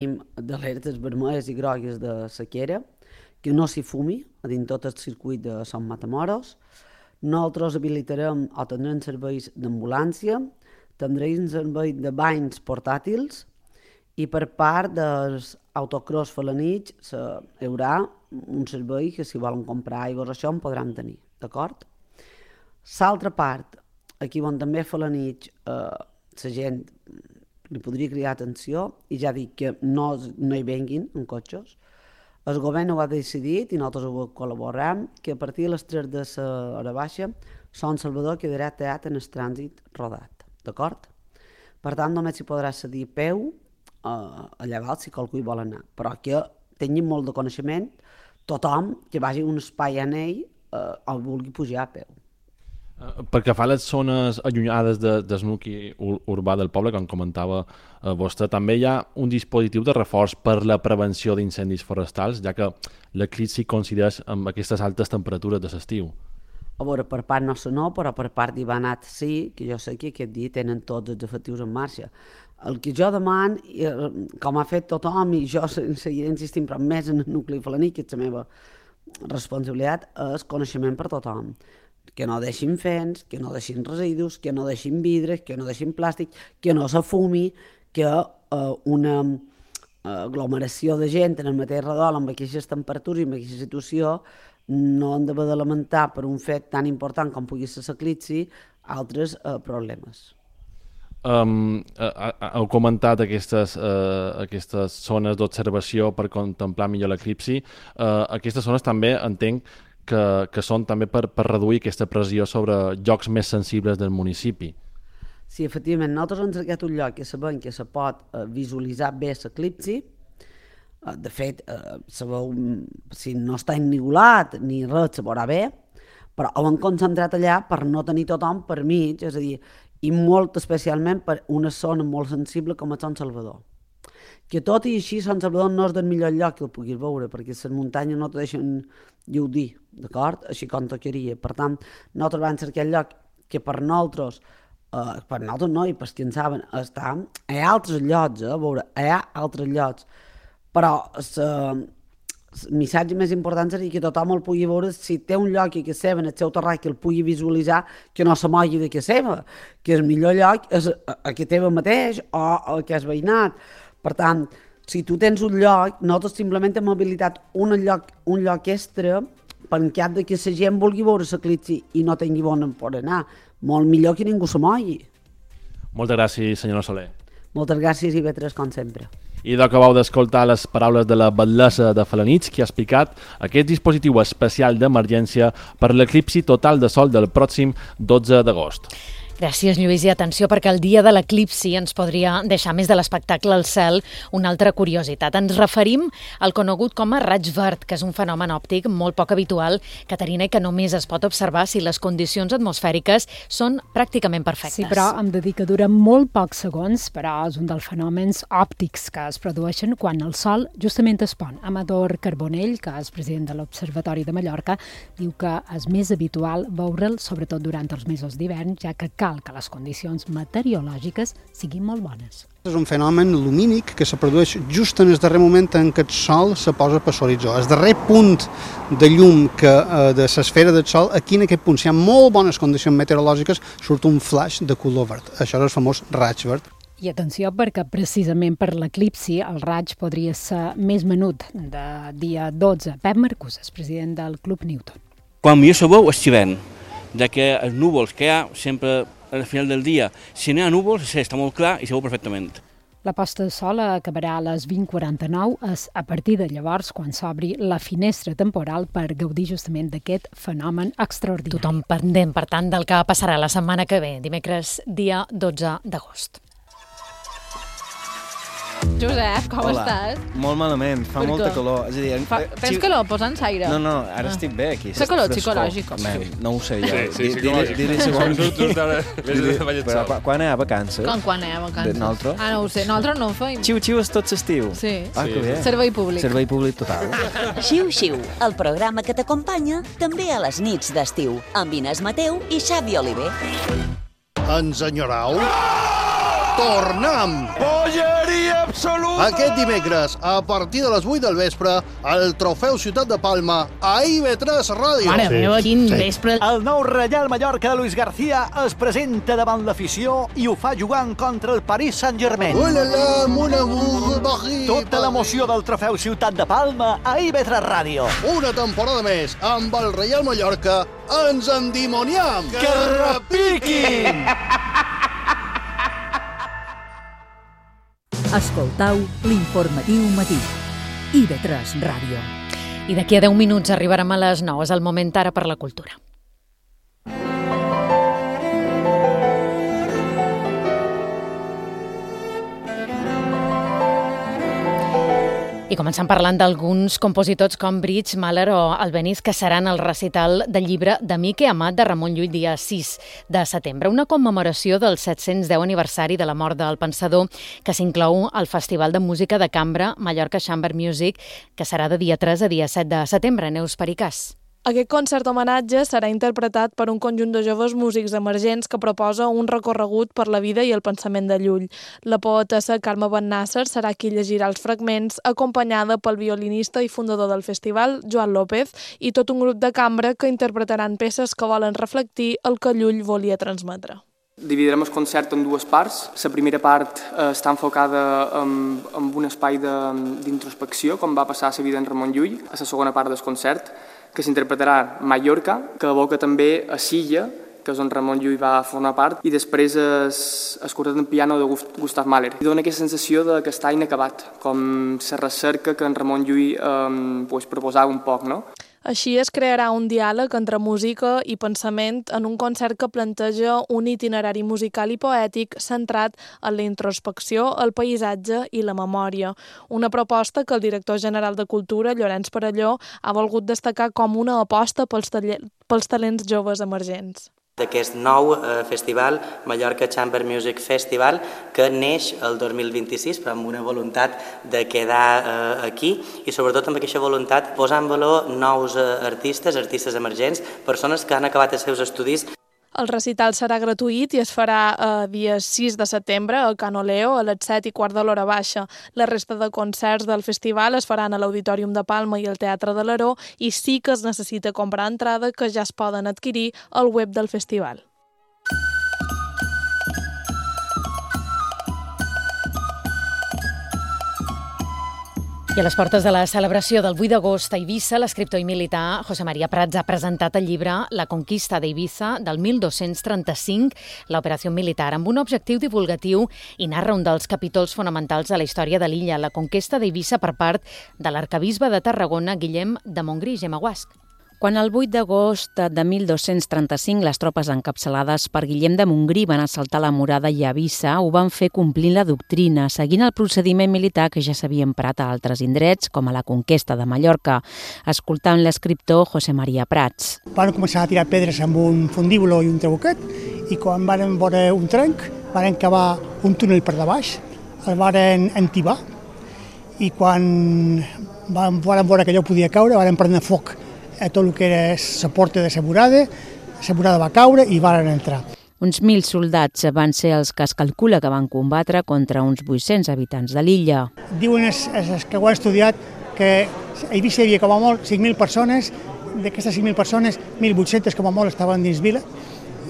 d'alertes vermelles i grogues de sequera, que no s'hi fumi a dins tot el circuit de Sant Matamoros. Nosaltres habilitarem o tindrem serveis d'ambulància, tindrem servei de banys portàtils i per part dels autocross felanits hi haurà un servei que si volen comprar aigües o això en podran tenir, d'acord? L'altra part, aquí on també felanits, la gent li podria cridar atenció i ja dic que no hi venguin en cotxes. El govern ho ha decidit i nosaltres ho col·laborem que a partir de les 3 de l'hora baixa Sant Salvador quedarà tallat en el trànsit rodat, d'acord? Per tant, només s'hi podrà cedir a peu allà dalt si qualcú hi vol anar, però que tinguin molt de coneixement tothom que vagi a un espai en ell o vulgui pujar a peu. Perquè fa les zones allunyades del nucli urbà del poble, com comentava vostè, també hi ha un dispositiu de reforç per la prevenció d'incendis forestals, ja que l'eclipsi coincideix amb aquestes altes temperatures de l'estiu. A veure, per part nostra no, però per part d'Ivanat sí, que jo sé que aquest dia tenen tots els efectius en marxa. El que jo demano, com ha fet tothom, i jo seguiré insistint, però més en el nucli felaní, que és la meva responsabilitat, és coneixement per tothom. Que no deixin fens, que no deixin residus, que no deixin vidres, que no deixin plàstic, que no se fumi, que una aglomeració de gent en el mateix redol amb aquestes temperatures i amb aquesta situació no han d'haver de lamentar per un fet tan important com pugui ser l'eclipsi altres problemes. Heu comentat aquestes zones d'observació per contemplar millor l'eclipsi. Aquestes zones també entenc que són també per reduir aquesta pressió sobre llocs més sensibles del municipi. Sí, efectivament, nosaltres hem cercat un lloc que sabem que se pot visualitzar bé l'eclipsi. De fet, sabeu, si no està ennigolat ni res, se veurà bé, però ho hem concentrat allà per no tenir tothom per mig, és a dir, i molt especialment per una zona molt sensible com és Sant Salvador. Que tot i així Sant Salvador no és del millor lloc que el puguis veure, perquè les muntanyes no te deixen gaudir, d'acord? Així com tocaria. Per tant, nosaltres vam cercar el lloc que per nosaltres no, i per qui en saben, està. Hi ha altres llocs, a veure, hi ha altres llocs, però el missatge més important seria que tothom el pugui veure, si té un lloc que seva en el seu terrat que el pugui visualitzar, que no se mogui de que seva, que el millor lloc és a que teva mateix o a que has veïnat. Per tant, si tu tens un lloc, nosaltres simplement hem habilitat un lloc extra per en cas que la gent vulgui veure l'eclipsi i no tingui on per anar. Molt millor que ningú se mogui. Moltes gràcies, senyora Soler. Moltes gràcies i vetres com sempre. I d'acabau d'escoltar les paraules de la batllessa de Felanitx, que ha explicat aquest dispositiu especial d'emergència per l'eclipsi total de sol del pròxim 12 d'agost. Gràcies, Lluís, i atenció perquè el dia de l'eclipsi ens podria deixar més de l'espectacle al cel una altra curiositat. Ens referim al conegut com a raig verd, que és un fenomen òptic molt poc habitual, Caterina, i que només es pot observar si les condicions atmosfèriques són pràcticament perfectes. Sí, però em de dir que dura molt pocs segons, però és un dels fenòmens òptics que es produeixen quan el sol justament es pon. Amador Carbonell, que és president de l'Observatori de Mallorca, diu que és més habitual veure'l, sobretot durant els mesos d'hivern, ja que cal que les condicions meteorològiques siguin molt bones. És un fenomen lumínic que se produeix just en el darrer moment en què el sol se posa per l'horitzó. El darrer punt de llum de l'esfera del sol, aquí en aquest punt, si hi ha molt bones condicions meteorològiques, surt un flash de color verd. Això és el famós raig verd. I atenció, perquè precisament per l'eclipsi el raig podria ser més menut de dia 12. Pep Marcusas, president del Club Newton. Quan millor se veu és xivern, ja que els núvols que hi ha sempre al final del dia, si no hi ha núvols, està molt clar i se veu perfectament. La posta de sol acabarà a les 20:49, és a partir de llavors quan s'obri la finestra temporal per gaudir justament d'aquest fenomen extraordinari. Tothom pendent, per tant, del que passarà la setmana que ve, dimecres, dia 12 d'agost. Josep, com estàs? Molt malament, fa molta calor. És a dir, tens calor? Posa'ns aire. No, ara estic bé aquí. Fa calor psicològic. No ho sé jo. Sí, psicològic. Però quan hi ha vacances? Quan hi ha vacances? Nosaltres? No ho sé, nosaltres no ho feim. Xiu-xiu és tot l'estiu. Sí. Que bé. Servei públic. Servei públic total. Xiu-xiu, el programa que t'acompanya també a les nits d'estiu, amb Inés Mateu i Xavi Oliver. Ens enyorau? tornem! Polleria absoluta! Aquest dimecres, a partir de les 8 del vespre, el Trofeu Ciutat de Palma a IB3 Ràdio. Mare meva, quin vespre. El nou Reial Mallorca de Luis García es presenta davant l'afició i ho fa jugant contra el Paris Saint-Germain. Ulala, mon amour, Paris. Tota l'emoció del Trofeu Ciutat de Palma a IB3 Ràdio. Una temporada més amb el Reial Mallorca. Ens endimoniam! Que repiquin! Escoltau l'informatiu matí. IB3 Ràdio. I d'aquí a 10 minuts arribarem a les 9. És el moment ara per la cultura. I començant parlant d'alguns compositors com Brits, Mahler o Albéniz, que seran al recital del llibre d'Amic i Amat de Ramon Llull dia 6 de setembre, una commemoració del 710 aniversari de la mort del pensador que s'inclou al Festival de Música de Cambra Mallorca Chamber Music, que serà de dia 3 a dia 7 de setembre. Neus Pericàs. Aquest concert homenatge serà interpretat per un conjunt de joves músics emergents que proposa un recorregut per la vida i el pensament de Llull. La poetessa Carme Ben-Nasser serà qui llegirà els fragments, acompanyada pel violinista i fundador del festival, Joan López, i tot un grup de cambra que interpretaran peces que volen reflectir el que Llull volia transmetre. Dividirem el concert en dues parts. La primera part està enfocada en un espai d'introspecció, com va passar a la vida en Ramon Llull. A la segona part del concert, que s'interpretarà Mallorca, que evoca també a Silla, que és on Ramon Llull va formar part, i després el quartet en piano de Gustav Mahler. I dona aquesta sensació que està inacabat, com la recerca que en Ramon Llull proposava un poc, no? Així es crearà un diàleg entre música i pensament en un concert que planteja un itinerari musical i poètic centrat en la introspecció, el paisatge i la memòria. Una proposta que el director general de Cultura, Llorenç Perelló, ha volgut destacar com una aposta pels talents joves emergents. D'aquest nou festival, Mallorca Chamber Music Festival, que neix el 2026, però amb una voluntat de quedar aquí i sobretot amb aquesta voluntat posar en valor nous artistes emergents, persones que han acabat els seus estudis. El recital serà gratuït i es farà dia 6 de setembre a Can Oleo a les 7:15 de l'hora baixa. La resta de concerts del festival es faran a l'Auditorium de Palma i al Teatre de l'Aró i sí que es necessita comprar entrada, que ja es poden adquirir al web del festival. I a les portes de la celebració del 8 d'agost a Eivissa, l'escriptor i militar José María Prats ha presentat el llibre La conquista d'Eivissa del 1235, l'operació militar, amb un objectiu divulgatiu, i narra un dels capítols fonamentals de la història de l'illa, la conquesta d'Eivissa per part de l'arquebisbe de Tarragona, Guillem de Montgrí i Gemma Guasc. Quan el 8 d'agost de 1235 les tropes encapçalades per Guillem de Montgrí van assaltar la murada i a Eivissa, ho van fer complint la doctrina, seguint el procediment militar que ja s'havia emprat a altres indrets, com a la conquesta de Mallorca, escoltant l'escriptor José María Prats. Van començar a tirar pedres amb un fundíbulo i un trabuquet, i quan van veure un trenc, van cavar un túnel per de baix, el van entibar, i quan van veure que allò podia caure, van prendre foc a tot el que era la porta de la murada va caure i van entrar. Uns 1.000 soldats van ser els que es calcula que van combatre contra uns 800 habitants de l'illa. Diuen els que ho han estudiat que a Eivissa hi havia com a molt 5.000 persones, d'aquestes 5.000 persones, 1.800 com a molt estaven dins vila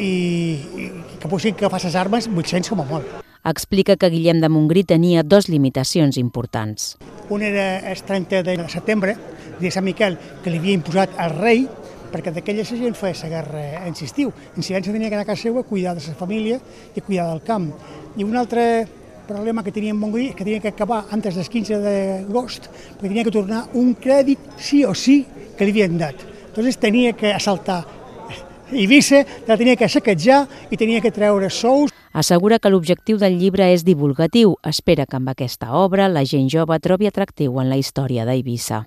i que potser que fas les armes 800 com a molt. Explica que Guillem de Montgrí tenia dues limitacions importants. Un era el 30 de setembre, de Sant Miquel, que li havia imposat al rei, perquè d'aquella gent feia la guerra en l'estiu. En silenci tenia que anar a casa seva a cuidar de la família i a cuidar del camp. I un altre problema que tenia en Montgrí és que tenia que acabar antes del 15 d'agost, perquè tenia que tornar un crèdit sí o sí que li havien dat. Llavors tenia que assaltar Eivissa, la tenia que saquejar i tenia que treure sous. Assegura que l'objectiu del llibre és divulgatiu. Espera que amb aquesta obra la gent jove trobi atractiu en la història d'Eivissa.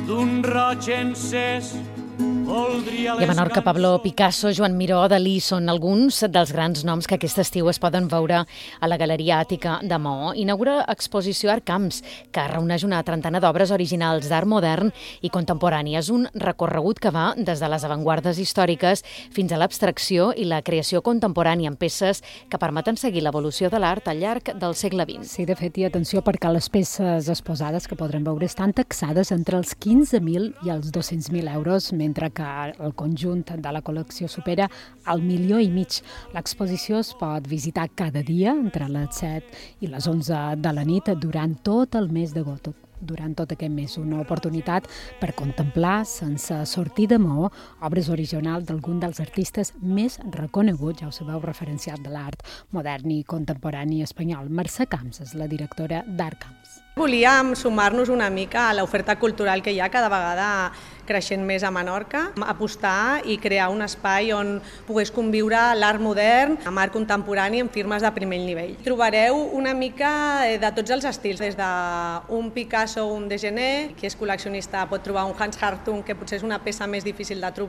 D'un roig encès I a Menorca, Pablo Picasso, Joan Miró, Dalí són alguns dels grans noms que aquest estiu es poden veure a la Galeria Àtica de Maó. Inaugura exposició Art Camps, que reuneix una trentena d'obres originals d'art modern i contemporani. És un recorregut que va des de les avantguardes històriques fins a l'abstracció i la creació contemporània en peces que permeten seguir l'evolució de l'art al llarg del segle XX. Sí, de fet, i atenció, perquè les peces exposades que podrem veure estan taxades entre els 15.000 i els 200.000 euros, mentre que el conjunt de la col·lecció supera el 1,5 milió. L'exposició es pot visitar cada dia entre les 7 i les 11 de la nit durant tot el mes d'agost. Durant tot aquest mes, una oportunitat per contemplar, sense sortir de Maó, obres originals d'algun dels artistes més reconeguts, ja ho sabeu, referenciat de l'art modern i contemporani espanyol. Mercè Camps és la directora d'Art Camps. Volíem sumar-nos una mica a l'oferta cultural que hi ha cada vegada creixent més a Menorca, apostar i crear un espai on pogués conviure l'art modern amb art contemporani en firmes de primer nivell. Trobareu una mica de tots els estils, des d'un Picasso o un Degener, qui és col·leccionista pot trobar un Hans Hartung, que potser és una peça més difícil de trobar,